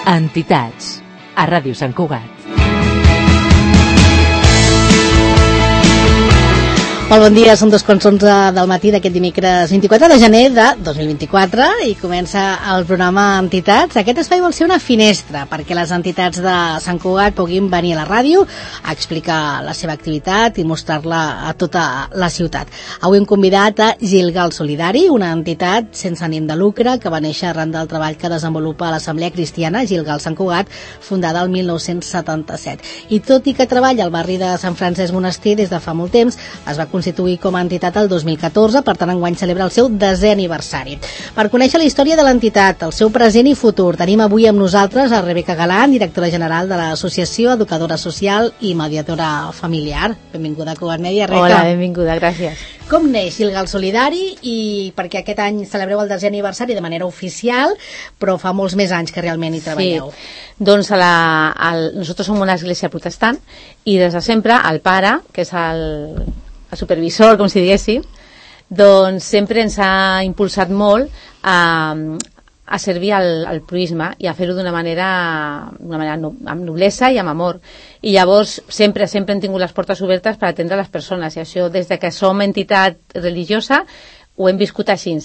Entitats, a Ràdio Sant Cugat. Molt bon dia, són 2:11 del matí d'aquest dimecres 24 de gener de 2024 i comença el programa Entitats. Aquest espai vol ser una finestra perquè les entitats de Sant Cugat puguin venir a la ràdio a explicar la seva activitat i mostrar-la a tota la ciutat. Avui hem convidat a Gilgal Solidari, una entitat sense ànim de lucre que va néixer arran del treball que desenvolupa l'Assemblea Cristiana Gilgal Sant Cugat, fundada el 1977. I tot i que treballa al barri de Sant Francesc Monestir des de fa molt temps, es va constituir com a entitat el 2014, per tant enguany celebra el seu 10è aniversari. Per conèixer la història de l'entitat, el seu present i futur, tenim avui amb nosaltres a Rebeca Galán, directora general de l'Associació Educadora Social i Mediadora Familiar. Benvinguda a Cugat Mèdia, Rebeca. Hola, benvinguda, gràcies. Com neix Gilgal Solidari? I perquè aquest any celebreu el 10è aniversari de manera oficial, però fa molts més anys que realment hi treballeu. Sí. Doncs nosaltres som una església protestant i des de sempre el pare, que és el supervisor, com si diguéssim, doncs sempre ens ha impulsat molt a servir al proisme i a fer-ho d'una manera amb noblesa i amb amor. I llavors sempre hem tingut les portes obertes per atendre les persones, i això des de que som entitat religiosa ho hem viscut així.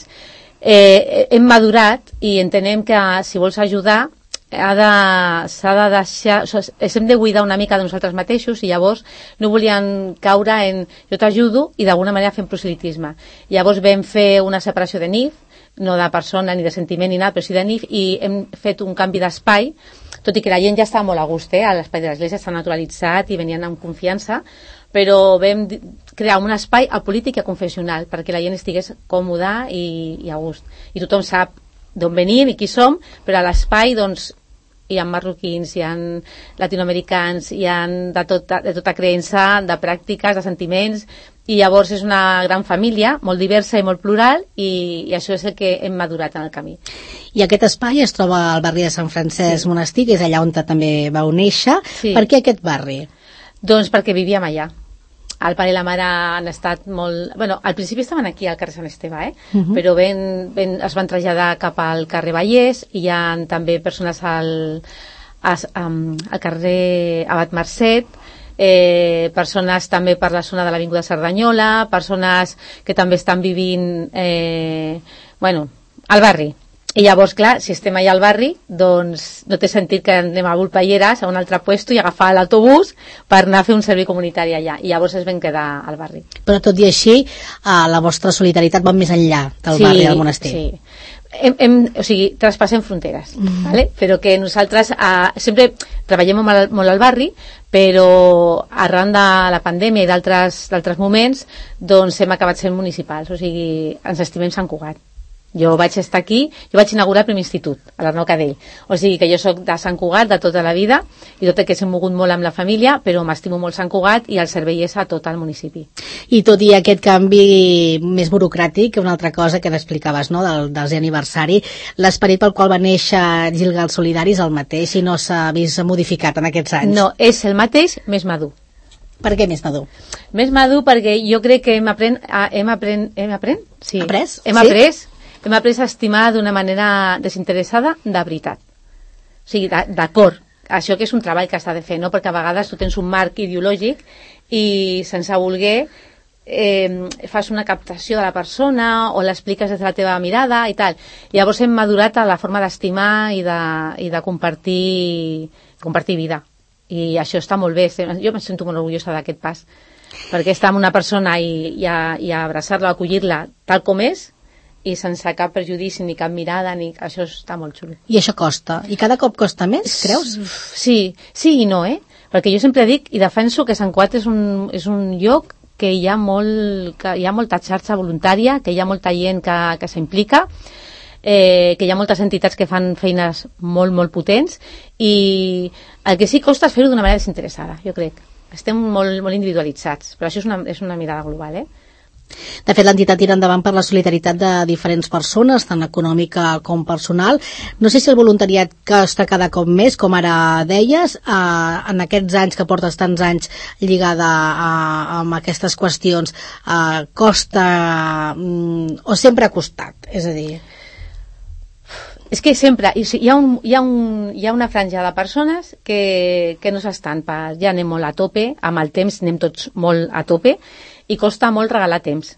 Hem madurat i entenem que si vols ajudar s'ha de deixar, hem de buidar una mica de nosaltres mateixos, i llavors no volien caure en jo t'ajudo i d'alguna manera fem proselitisme. Llavors vam fer una separació de NIF, no de persona ni de sentiment ni nada, però sí de NIF, i hem fet un canvi d'espai, tot i que la gent ja estava molt a gust, a l'espai de l'església està naturalitzat i venien amb confiança, però vam crear un espai apolític i confessional perquè la gent estigués còmoda i a gust, i tothom sap d'on venim i qui som, però a l'espai doncs hi ha marroquins, hi ha latinoamericans, hi ha de tota creença, de pràctiques, de sentiments, i llavors és una gran família, molt diversa i molt plural, i això és el que hem madurat en el camí. I aquest espai es troba al barri de Sant Francesc Monestir, que és allà on també vau néixer. Sí. Per què aquest barri? Doncs perquè vivíem allà. El pare i la mare han estat molt... Bueno, al principi estaven aquí al carrer Sant Esteve, però es van traslladar cap al carrer Vallès, i hi ha també persones al carrer Abat Marcet, persones també per la zona de l'Avinguda Cerdanyola, persones que també estan vivint al barri. I llavors, clar, si estem allà al barri, doncs no té sentit que anem a Volpelleres, a un altre puesto, i agafar l'autobús per anar a fer un servei comunitari allà. I llavors es vam quedar al barri. Però tot i així, la vostra solidaritat va més enllà del barri del monestir. Sí. Traspassem fronteres, ¿vale? Però que nosaltres sempre treballem molt al barri, però arran de la pandèmia i d'altres moments, doncs hem acabat sent municipals, o sigui, ens estimem Sant Cugat. Jo vaig estar aquí, jo vaig inaugurar el primer institut, a l'Arnau Cadell. O sigui que jo sóc de Sant Cugat de tota la vida, i tot i que s'he mogut molt amb la família, però m'estimo molt Sant Cugat i el servei és a tot el municipi. I tot i aquest canvi més burocràtic, una altra cosa que t'explicaves, no?, del 10è aniversari, l'esperit pel qual va néixer Gilgal Solidari és el mateix i no s'ha vist modificat en aquests anys? No, és el mateix, més madur. Per què més madur? Més madur perquè jo crec que hem après? Sí. Après? Hem après a estimar d'una manera desinteressada de veritat. O sigui, d'acord. Això que és un treball que s'ha de fer, no? Perquè a vegades tu tens un marc ideològic i sense voler fas una captació de la persona o l'expliques des de la teva mirada i tal. Llavors hem madurat a la forma d'estimar i de compartir vida. I això està molt bé. Jo em sento molt orgullosa d'aquest pas. Perquè estar amb una persona i abraçar-la, acollir-la tal com és, i sense cap prejudici ni cap mirada, això està molt xulo. I això costa? I cada cop costa més, creus? Sí i no, perquè jo sempre dic i defenso que Sant Cugat és un lloc que hi ha molta xarxa voluntària, que hi ha molta gent que s'implica, que hi ha moltes entitats que fan feines molt, molt potents, i el que sí costa és fer-ho d'una manera desinteressada, jo crec. Estem molt, molt individualitzats, però això és una mirada global, De fet, l'entitat tira endavant per la solidaritat de diferents persones, tant econòmica com personal. No sé si el voluntariat costa cada cop més, com ara deies, en aquests anys que portes tants anys lligada amb aquestes qüestions, costa o sempre ha costat? És a dir... És que sempre hi ha una franja de persones que no s'estan, ja anem molt a tope, amb el temps anem tots molt a tope i costa molt regalar temps,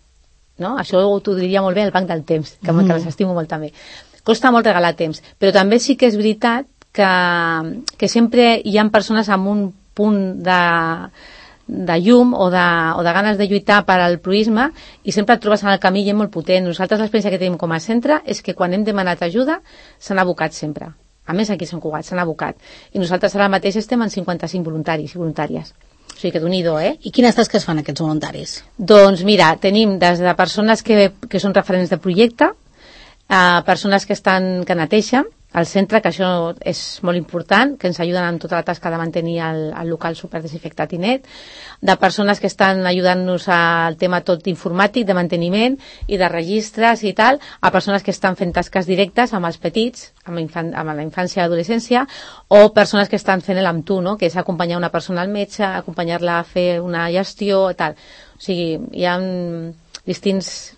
no? Això t'ho diria molt bé el banc del temps, que les estimo molt també. Costa molt regalar temps, però també sí que és veritat que sempre hi ha persones amb un punt de llum o de ganes de lluitar per al proïsme i sempre et trobes en el camí gent molt potent. Nosaltres l'experiència que tenim com a centre és que quan hem demanat ajuda s'han abocat sempre. A més, aquí a Sant Cugat s'han abocat. I nosaltres ara mateix estem en 55 voluntaris i voluntàries. O sigui que d'un-i-do, I quines tasques fan aquests voluntaris? Doncs mira, tenim des de persones que són referents de projecte, a persones que neteixen al centre, que això és molt important, que ens ajuden en tota la tasca de mantenir el local superdesinfectat i net, de persones que estan ajudant-nos al tema tot informàtic, de manteniment i de registres i tal, a persones que estan fent tasques directes amb els petits, amb la infància i adolescència, o persones que estan fent l'Amb tu, no? Que és acompanyar una persona al metge, acompanyar-la a fer una gestió, tal. O sigui, hi ha distintes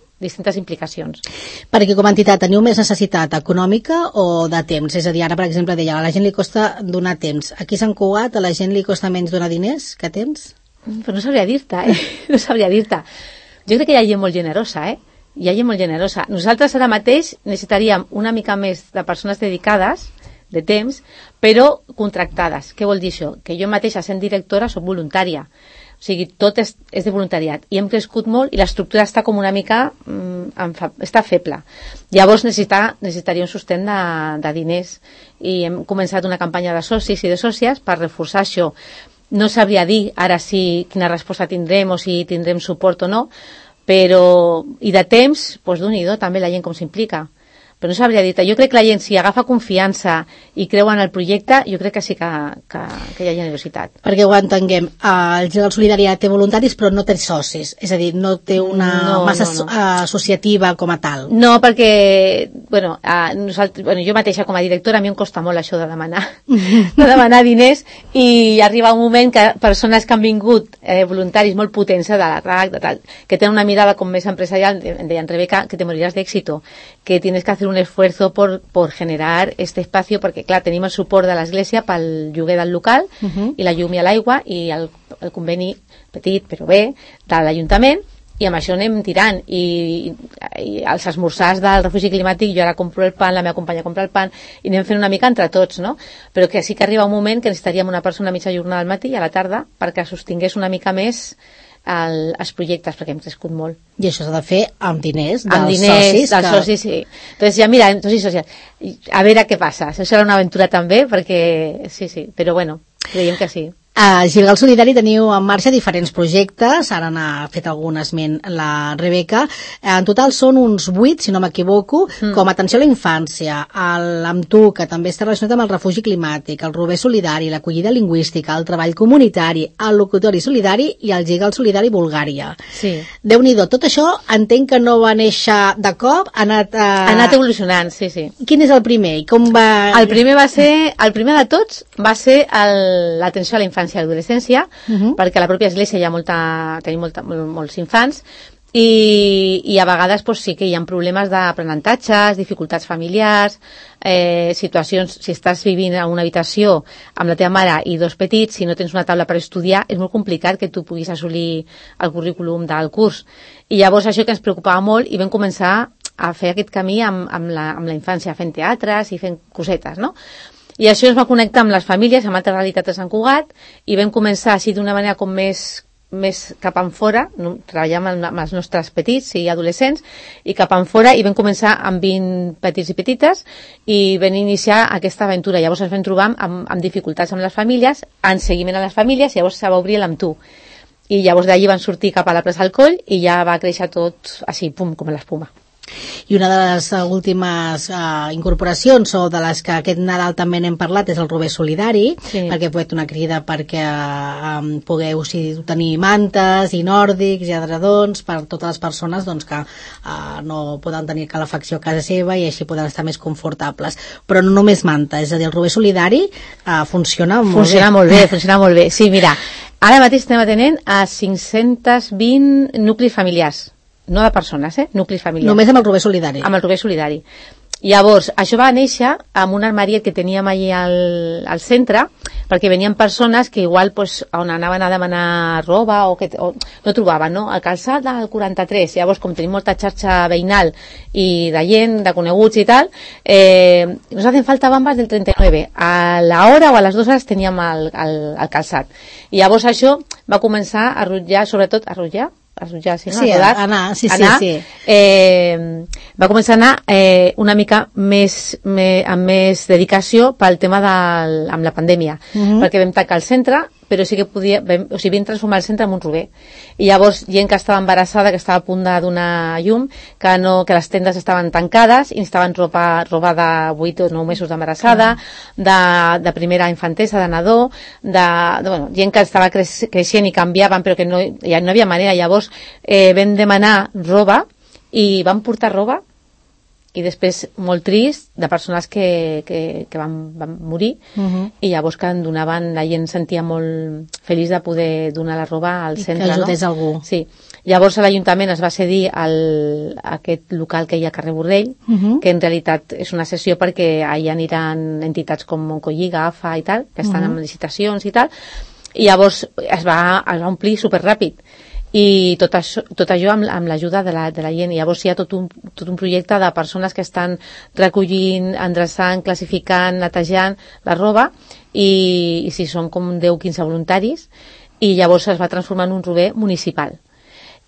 implicacions. Perquè com a entitat teniu més necessitat econòmica o de temps? És a dir, ara per exemple deia, a la gent li costa donar temps. Aquí a Sant Cugat a la gent li costa menys donar diners que temps? Però no sabria dir-te, No sabria dir-te. Jo crec que hi ha gent molt generosa, Hi ha gent molt generosa. Nosaltres ara mateix necessitaríem una mica més de persones dedicades, de temps, però contractades. Què vol dir això? Que jo mateixa, sent directora, soc voluntària. O sigui, tot és de voluntariat. I hem crescut molt i l'estructura està com una mica... està feble. Llavors necessitaria un sostén de diners. I hem començat una campanya de socis i de sòcies per reforçar això. No sabria dir ara quina resposta tindrem o si tindrem suport o no, però... I de temps, doncs d'un-i-do també la gent com s'implica. Però no sabria dir-te. Jo crec que la gent, si agafa confiança i creu en el projecte, jo crec que sí que hi ha generositat. Perquè ho entenguem. El Gil Solidaritat té voluntaris, però no té socis. És a dir, no té una massa associativa com a tal. No, perquè, jo mateixa com a directora a mi em costa molt això de demanar diners i arriba un moment que persones que han vingut voluntaris molt potents de la RAC, que tenen una mirada com més empresarial, em deien, Rebeca, que te moriràs d'éxito, que tienes que hacer un esfuerzo por generar este espacio, perquè clar, tenim el suport de l'Església pel lloguer del local i la llum i l'aigua i el conveni petit però bé de l'Ajuntament, i amb això anem tirant i els esmorzars del refugi climàtic, jo ara compro el pan, la meva companya compra el pan i anem fent una mica entre tots, no? Però que sí que arriba un moment que necessitaríem una persona a mitja jornada al matí i a la tarda perquè sostingués una mica més els projectes, perquè hem crescut molt. I això s'ha de fer amb diners dels socis, sí. Entonces ja mira, socis, a veure què passa. Això serà una aventura també, perquè sí, però bueno, creiem que sí. A Gilgal Solidari teniu en marxa diferents projectes, ara n'ha fet algun esment la Rebeca. En total són uns 8, si no m'equivoco, com atenció a la infància, l'Amb tu, que també està relacionat amb el refugi climàtic, el Rober Solidari, l'acollida lingüística, el treball comunitari, el locutori solidari i el Gilgal Solidari Bulgària. Sí. Déu-n'hi-do, tot això entenc que no va néixer de cop, ha anat evolucionant, sí. Quin és el primer? I com va... El primer de tots va ser l'atenció a la infància i adolescència, perquè a la pròpia església tenim molts infants i a vegades sí que hi ha problemes d'aprenentatges, dificultats familiars, situacions, si estàs vivint en una habitació amb la teva mare i dos petits, si no tens una taula per estudiar, és molt complicat que tu puguis assolir el currículum del curs. I llavors això que ens preocupava molt i vam començar a fer aquest camí amb la infància, fent teatres i fent cosetes, no? I això es va connectar amb les famílies, amb altres realitats de Sant Cugat, i vam començar així d'una manera com més cap enfora, treballàvem amb els nostres petits i adolescents, i cap enfora, i vam començar amb 20 petits i petites, i vam iniciar aquesta aventura. Llavors ens vam trobar amb dificultats amb les famílies, en seguiment a les famílies, i llavors se va obrir l'Amb tu. I llavors d'allí van sortir cap a la plaça del Coll, i ja va créixer tot així, pum, com l'espuma. I una de les últimes incorporacions o de les que aquest Nadal també n'hem parlat és el Rober Solidari, perquè he fet una crida perquè pugueu tenir mantes i nòrdics i edredons per totes les persones que no poden tenir calefacció a casa seva i així poden estar més confortables. Però no només manta, és a dir, el Rober Solidari funciona molt bé. Funciona molt bé. Sí, mira, ara mateix estem atenent a 520 nuclis familiars. No de persones, nuclis familiars. Només amb el Rober Solidari. Amb el Rober Solidari. Llavors, això va néixer amb un armariet que teníem allà al centre, perquè venien persones que igual pues, on anaven a demanar roba o no trobaven, no? El calçat del 43. Llavors, com tenim molta xarxa veïnal i de gent, de coneguts i tal, nos hacen falta bambas del 39. A la hora o a les 2 hores teníem el calçat. I llavors això va començar a rotllar, sobretot a rotllar, sí, no? Sí, anar. Va començar a anar una mica amb més dedicació pel tema amb la pandèmia, perquè vam tancar el centre, però sí que vam transformar el centre en un rober. I llavors gent que estava embarassada, que estava a punt de donar llum, que les tendes estaven tancades i necessitaven roba de 8 o 9 mesos d'embarassada, de primera infantesa, de nadó, bueno, gent que estava creixent i canviaven, però que ja no havia manera. Llavors vam demanar roba i vam portar roba, i després molt trist de persones que van morir, i llavors que en donaven, la gent sentia molt feliç de poder donar la roba al centre, que ajudés algú. Sí. Llavors l'Ajuntament es va cedir a aquest local que hi ha a carrer Borrell, que en realitat és una sessió perquè allà aniran entitats com Moncolliga, AFA i tal, que estan en licitacions i tal, i llavors es va omplir superràpid. I tot això amb l'ajuda de la gent. I llavors hi ha tot un projecte de persones que estan recollint, endreçant, classificant, netejant la roba, i sí, són com 10-15 voluntaris, i llavors es va transformar en un rober municipal,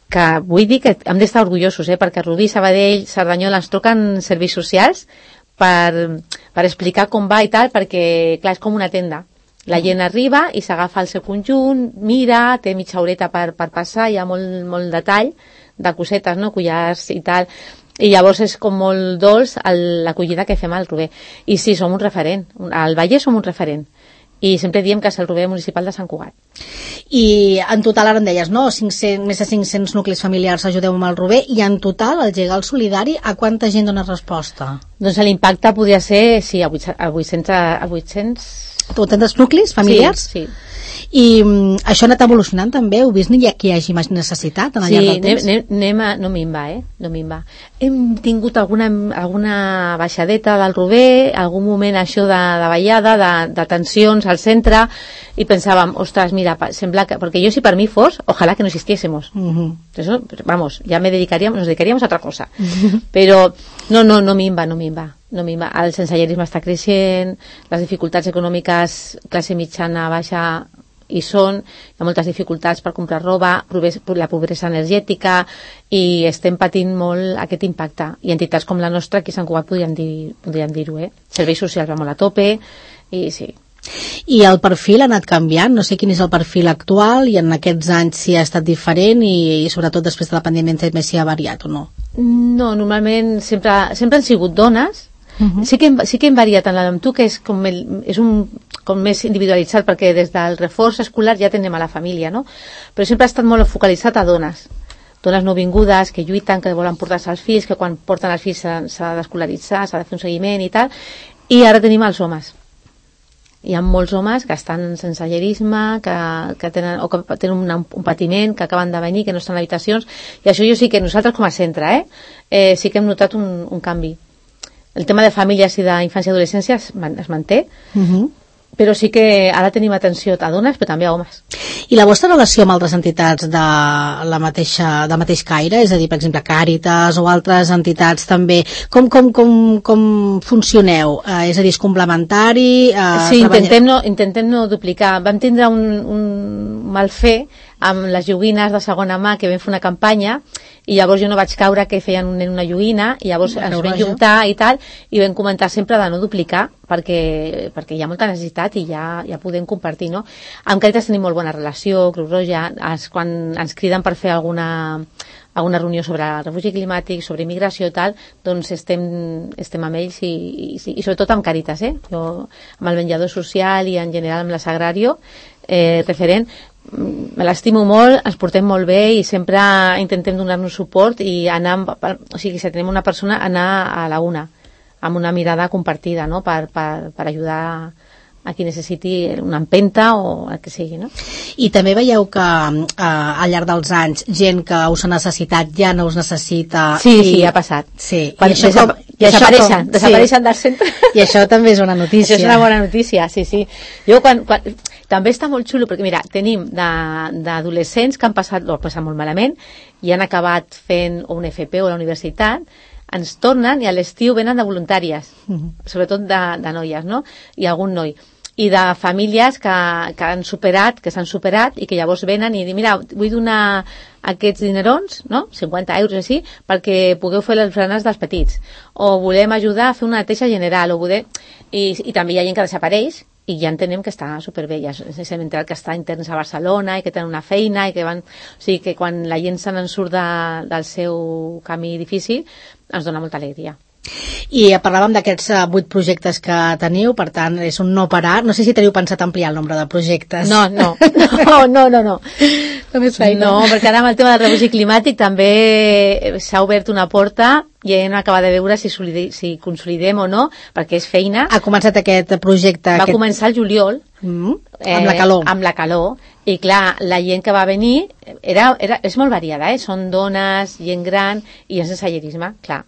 que vull dir que hem d'estar orgullosos, perquè Rubí, Sabadell, Cerdanyola ens truquen serveis socials per explicar com va i tal, perquè clar, és com una tenda. La gent arriba i s'agafa el seu conjunt, mira, té mitja horeta per passar, hi ha molt detall de cosetes, no? Collars i tal, i llavors és com molt dolç l'acollida que fem al rober. I sí, som un referent, al Vallès som un referent, i sempre diem que és el rober municipal de Sant Cugat. I en total, ara em deies, no? Més de 500 nuclis familiars ajudeu amb el rober, i en total, el Gegal Solidari, a quanta gent dona resposta? Doncs l'impacte podria ser, sí, a 800 nuclis familiars? Sí. I això ha anat evolucionant també? Heu vist que hi hagi més necessitat al llarg del temps? No minva, no minva. Hem tingut alguna baixadeta del rober, algun moment això de ballada, de tensions al centre, i pensàvem, ostres, mira, sembla que... Perquè jo, si per mi fos, ojalá que no existiésemos. Eso, vamos, ya nos dedicaríamos a otra cosa. Però no minva. El sensellarisme està creixent, les dificultats econòmiques, classe mitjana, baixa, hi ha moltes dificultats per comprar roba, la pobresa energètica, i estem patint molt aquest impacte. I entitats com la nostra, aquí a Sant Cugat podríem dir-ho, Serveis socials va molt a tope, i sí. I el perfil ha anat canviant, no sé quin és el perfil actual, i en aquests anys si ha estat diferent, i sobretot després de la pandèmia més si ha variat o no? No, normalment sempre han sigut dones. Sí que hem variat en amb tu, que és com més individualitzat, perquè des del reforç escolar ja tenem a la família, no? Però sempre ha estat molt focalitzat a dones nouvingudes que lluiten, que volen portar-se els fills, que quan porten els fills s'ha d'escolaritzar, s'ha de fer un seguiment i tal, i ara tenim els homes. Hi ha molts homes que estan en sensellerisme, que tenen un patiment, que acaben de venir, que no estan en habitacions, i això jo sí que nosaltres com a centre sí que hem notat un canvi. El tema de famílies i d'infància i adolescència es manté, però sí que ara tenim atenció a dones, però també a homes. I la vostra relació amb altres entitats del mateix caire, és a dir, per exemple, Càritas o altres entitats també, com funcioneu? És a dir, és complementari? Sí, intentem no duplicar. Vam tindre un mal fer amb les joguines de segona mà, que vam fer una campanya, i llavors jo no vaig caure que feien una joguina, i llavors ens vam juntar i tal, i vam comentar sempre de no duplicar, perquè hi ha molta necessitat i ja podem compartir, no? Amb Càritas tenim molt bona relació, Creu Roja, quan ens criden per fer alguna reunió sobre refugi climàtic, sobre immigració i tal, doncs estem amb ells, i sobretot amb Càritas, jo amb el menjador social i en general amb la Sagrario, referent, me l'estimo molt, ens portem molt bé i sempre intentem donar-nos suport i anar, o sigui, si tenim una persona, anar a la una, amb una mirada compartida, no?, per ajudar a qui necessiti una empenta o el que sigui, no? I també veieu que al llarg dels anys gent que us ha necessitat ja no us necessita... Sí, ha passat. Sí. desapareixen del centre. I això també és una notícia. Això és una bona notícia, sí. Jo també està molt xulo, perquè mira, tenim d'adolescents que han passat molt malament i han acabat fent un FP o la universitat, ens tornen i a l'estiu venen de voluntàries, sobretot de noies, no? I algun noi. I de famílies que s'han superat i que llavors venen i diuen, mira, vull donar aquests dinerons, no? 50 euros així, perquè pugueu fer les berenes dels petits. O volem ajudar a fer una neteja general. I també hi ha gent que desapareix i ja entenem que està superbé. Ja s'ha mentat que està interns a Barcelona i que tenen una feina i que van... O sigui que quan la gent se n'en surt del seu camí difícil ens dona molta alegria. I parlàvem d'aquests 8 projectes que teniu, per tant és un no parar. No sé si teniu pensat ampliar el nombre de projectes. No. Només feina. No, perquè ara amb el tema del refugi climàtic també s'ha obert una porta i hem acabat de veure si consolidem o no, perquè és feina. Ha començat aquest projecte... Va començar el juliol. Amb la calor. Amb la calor. I clar, la gent que va venir és molt variada, són dones, gent gran i gent sense sensellarisme, clar.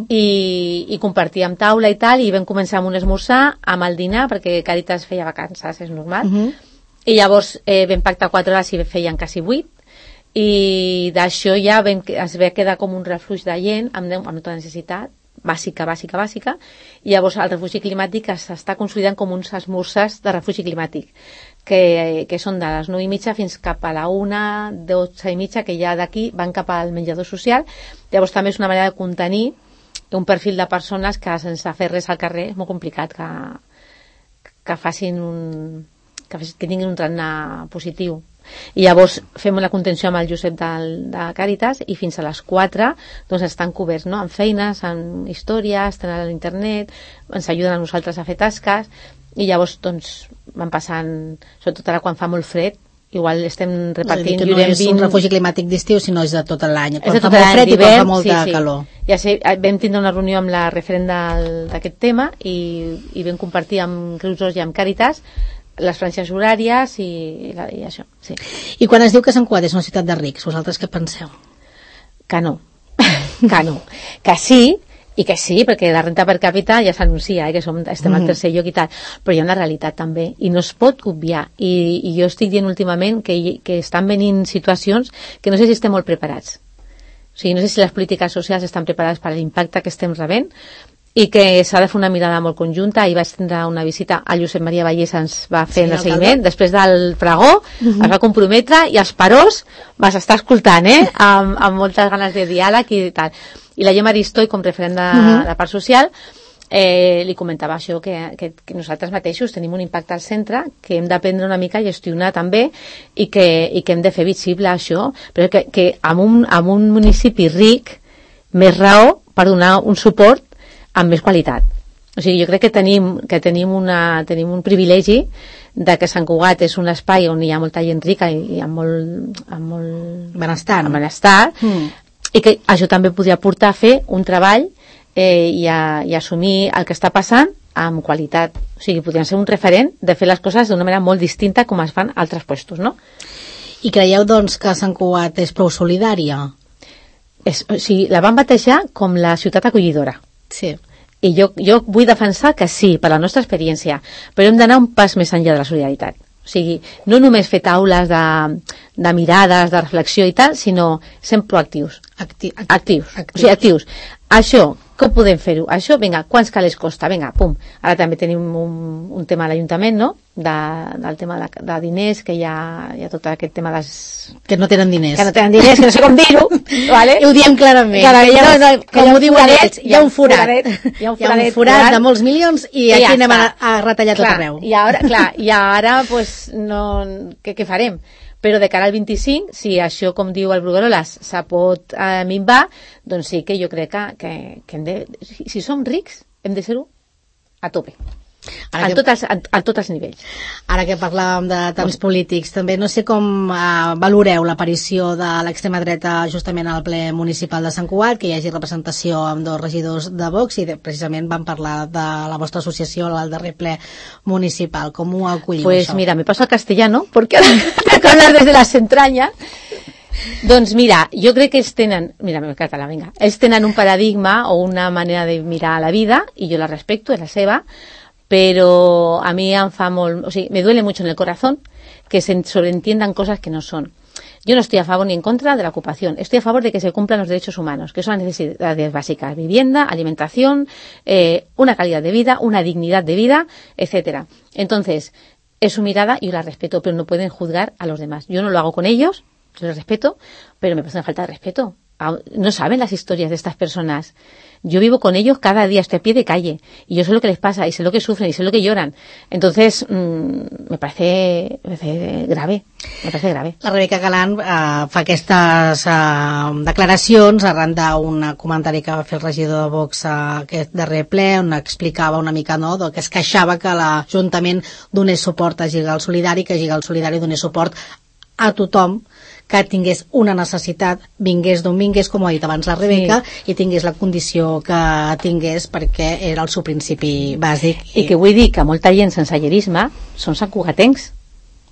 I compartíem taula i tal, i vam començar amb un esmorzar, amb el dinar, perquè Càritas feia vacances, és normal. I llavors vam pactar 4 hores i feien quasi 8, i d'això ja es va quedar com un refugi de gent amb molta necessitat bàsica, i llavors el refugi climàtic s'està consolidant com uns esmorzars de refugi climàtic, que són de les 9:30 fins cap a la 1, 12:30, que ja d'aquí van cap al menjador social. Llavors també és una manera de contenir un perfil de persones que sense fer res al carrer és molt complicat que tinguin un tarannà positiu. I llavors fem la contenció amb el Josep de Càritas i fins a les 4 doncs estan coberts, no? Amb feines, amb històries, tenen a l'internet, ens ajuden a nosaltres a fer tasques i llavors doncs van passant, sobretot ara quan fa molt fred, igual estem repartint... No és un refugi climàtic d'estiu, sinó és de tot l'any. Quan fa molt fred i quan fa molta calor. Ja sé, vam tindre una reunió amb la referent d'aquest tema i vam compartir amb Creu Roja i amb Càritas les franges horàries i això, sí. I quan es diu que Sant Cugat és una ciutat de rics, vosaltres què penseu? Que no. Que sí, i que sí, perquè la renta per càpita ja s'anuncia, que estem al tercer lloc i tal, però hi ha una realitat també, i no es pot obviar, i jo estic dient últimament que estan venint situacions que no sé si estem molt preparats. O sigui, no sé si les polítiques socials estan preparades per l'impacte que estem rebent, i que s'ha de fer una mirada molt conjunta. Ahir vaig tindre una visita a Josep Maria Vallès, ens va fer el seguiment després del pregó, es va comprometre i els parors vas estar escoltant, amb moltes ganes de diàleg i tal. I la Gemma Aristoi, com referent de la part social, li comentava això, que nosaltres mateixos tenim un impacte al centre que hem d'aprendre una mica a gestionar també i que hem de fer visible això, però que amb un municipi ric més raó per donar un suport amb més qualitat. O sigui, jo crec que tenim un privilegi de que Sant Cugat és un espai on hi ha molta gent rica i amb molt benestar, i que això també podria portar a fer un treball i assumir el que està passant amb qualitat. O sigui, podrien ser un referent de fer les coses d'una manera molt distinta com es fan altres puestos, no? I creieu, doncs, que Sant Cugat és prou solidària? O sigui, la van batejar com la ciutat acollidora. Sí. I jo vull defensar que sí, per la nostra experiència, però hem d'anar un pas més enllà de la solidaritat. O sigui, no només fer taules de mirades, de reflexió i tal, sinó ser proactius. Actius. O sigui, actius. Això, com podem fer-ho? Això, vinga, quants calés costa? Vinga, pum. Ara també tenim un tema a l'Ajuntament, no? Del tema de diners, que hi ha tot aquest tema de... Que no tenen diners. Que no sé com dir-ho, ¿vale? I ho diem clarament. Com ho diuen ells, hi ha un forat. Hi ha un forat de molts milions i aquí anem a retallar tot arreu. I ara, pues, què farem? Però de cara al 25, si això, com diu el Brugueroles, se pot minvar, doncs sí que jo crec que hem de... Si som rics, hem de ser-ho a tope. A tots els nivells. Ara que parlàvem de temps polítics, també no sé com valoreu l'aparició de l'extrema dreta justament al ple municipal de Sant Cugat, que hi hagi representació amb 2 regidors de Vox i precisament van parlar de la vostra associació al darrer ple municipal. Com ho acolliu, pues això? Mira, me paso al castellano porque hablar desde las entrañas. Doncs mira, jo crec que ells tenen, mira, me català, vinga, ells tenen un paradigma o una manera de mirar la vida y yo la respecto, es la seva, pero a mí em fa molt, o sigui, me duele mucho en el corazón que se sobreentiendan cosas que no son. Yo no estoy a favor ni en contra de la ocupación, estoy a favor de que se cumplan los derechos humanos, que son las necesidades básicas, vivienda, alimentación, una calidad de vida, una dignidad de vida, etcétera. Entonces, es su mirada y yo la respeto, pero no pueden juzgar a los demás. Yo no lo hago con ellos, yo les respeto, pero me parece una falta de respeto. No saben las historias de estas personas. Yo vivo con ellos cada día, estoy a pie de calle, y yo sé lo que les pasa, y sé lo que sufren, y sé lo que lloran. Entonces, me parece grave. Me parece grave. La Rebeca Galant fa aquestes declaracions arran d'un comentari que va fer el regidor de Vox aquest darrer ple, on explicava una mica, no?, que es queixava que l'Ajuntament donés suport a Gigal Solidari, que Gigal Solidari donés suport a tothom que tingués una necessitat, vingués d'on vingués, com ha dit abans la Rebeca, sí, i tingués la condició que tingués, perquè era el seu principi bàsic. I que vull dir que molta gent sense llerisme són santcugatencs.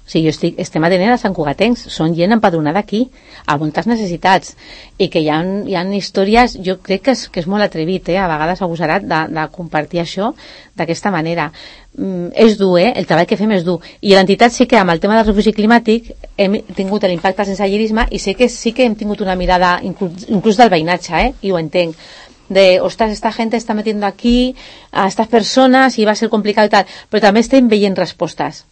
O sigui, estem atenent a santcugatencs, són gent empadronada aquí, a moltes necessitats, i que hi ha històries, jo crec que és molt atrevit, a vegades agosarat, de compartir això d'aquesta manera. És dur, el treball que fem és dur, i l'entitat sí que amb el tema del refugi climàtic hem tingut l'impacte sense llerisme, i sé que sí que hem tingut una mirada inclús del veïnatge, i ho entenc, de, ostras, esta gente está metiendo aquí a estas personas i va a ser complicat i tal, però també estem veient respostes.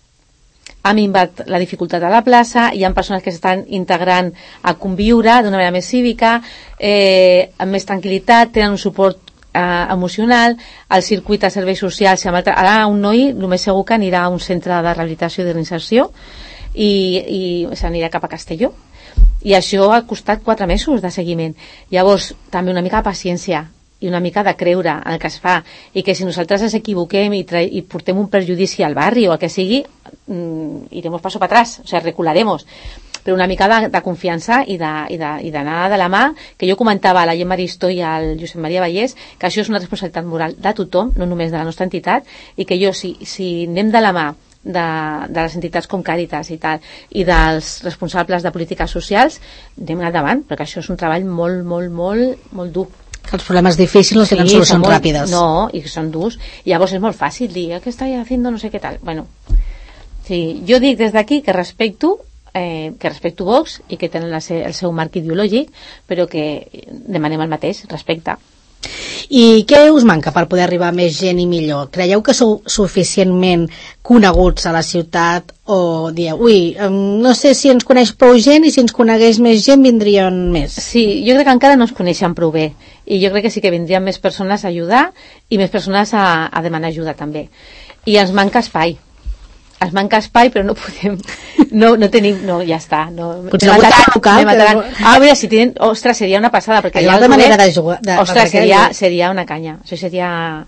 Ha minvat la dificultat a la plaça, hi ha persones que s'estan integrant a conviure d'una manera més cívica, amb més tranquil·litat, tenen un suport emocional, el circuit de serveis socials, ara un noi el més segur que anirà a un centre de rehabilitació i de reinserció i s'anirà cap a Castelló, i això ha costat 4 mesos de seguiment. Llavors també una mica de paciència i una mica de creure en el que es fa, i que si nosaltres ens equivoquem i portem un perjudici al barri o el que sigui, iremos paso para atrás, o sea, recularemos, però una mica de confiança i d'anar de la mà, que jo comentava a la Gemma Aristó i al Josep Maria Vallès, que això és una responsabilitat moral de tothom, no només de la nostra entitat, i que jo, si anem de la mà de les entitats com Càritas i tal, i dels responsables de polítiques socials, anem endavant, perquè això és un treball molt, molt, molt, molt dur. Que els problemes difícils no tenen solucions ràpides. No, i que són durs. I llavors és molt fàcil dir, què està haciendo no sé què tal. Bueno, sí, jo dic des d'aquí que respecto Vox i que tenen el seu marc ideològic, però que demanem el mateix, respecte. I què us manca per poder arribar a més gent i millor? Creieu que sou suficientment coneguts a la ciutat o dieu, no sé si ens coneix prou gent i si ens conegués més gent vindrien més? Sí, jo crec que encara no ens coneixen prou bé i jo crec que sí que vindrien més persones a ajudar i més persones a demanar ajuda també. I ens manca espai. Ens manca espai, però no podem... No tenim... No, ja està. Potser el local... mira, si tenen... Ostres, seria una passada, perquè allà de manera de jugar... Ostres, seria una canya. Això seria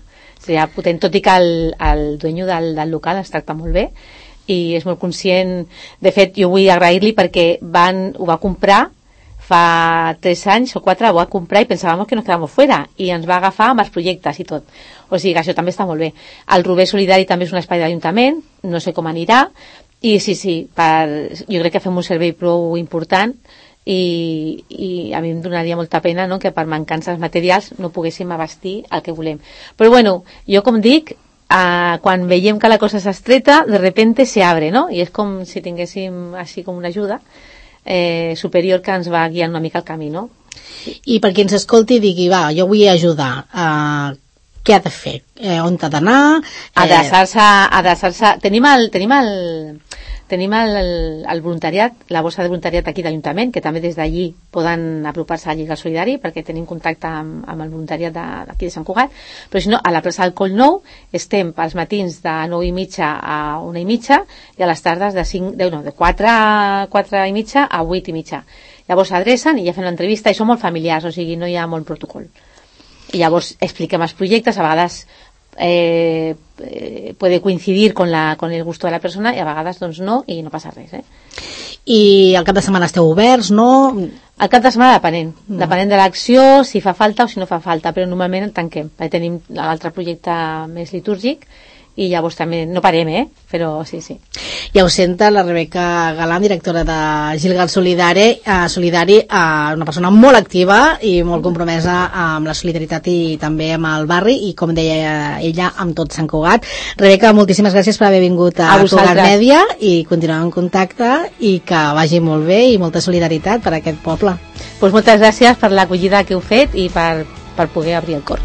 potent, tot i que el dueño del local es tracta molt bé i és molt conscient. De fet, jo vull agrair-li perquè ho va comprar fa 3 anys o 4, ho va comprar i pensàvem que nos quedàvem fora i ens va agafar amb els projectes i tot. O sigui, això també està molt bé. El Rober Solidari també és un espai de l'Ajuntament, no sé com anirà, i sí, jo crec que fem un servei prou important i a mi em donaria molta pena, no?, que per mancances materials no poguéssim abastir el que volem. Però bueno, jo com dic, quan veiem que la cosa s'estreta, de repente se abre, no? I és com si tinguéssim així com una ajuda superior que ens va guiant una mica el camí, no? I per qui ens escolti i digui, va, jo vull ajudar, què ha de fer? On ha d'anar? Adreçar-se. Tenim el voluntariat, la borsa de voluntariat aquí d'Ajuntament, que també des d'allí poden apropar-se a Lliga Solidari, perquè tenim contacte amb el voluntariat d'aquí de Sant Cugat, però si no, a la plaça del Coll Nou estem pels matins de 9:30 a 1:30 i a les tardes de 4:30 a 8:30. Llavors s'adrecen i ja fem l'entrevista i són molt familiars, o sigui, no hi ha molt protocol. I llavors expliquem els projectes, a vegades puede coincidir con el gusto de la persona i a vegades doncs no, i no passa res. I el cap de setmana esteu oberts, no? El cap de setmana depenent de l'acció, si fa falta o si no fa falta, però normalment el tanquem, perquè tenim l'altre projecte més litúrgic i llavors també no parem, però sí. Ja ho senta la Rebeca Galán, directora de Gilgal Solidari, una persona molt activa i molt compromesa amb la solidaritat i també amb el barri i, com deia ella, amb tot Sant Cugat. Rebeca, moltíssimes gràcies per haver vingut a Cugat Mèdia i continuem en contacte i que vagi molt bé i molta solidaritat per a aquest poble. Moltes gràcies per l'acollida que heu fet i per poder obrir el cor.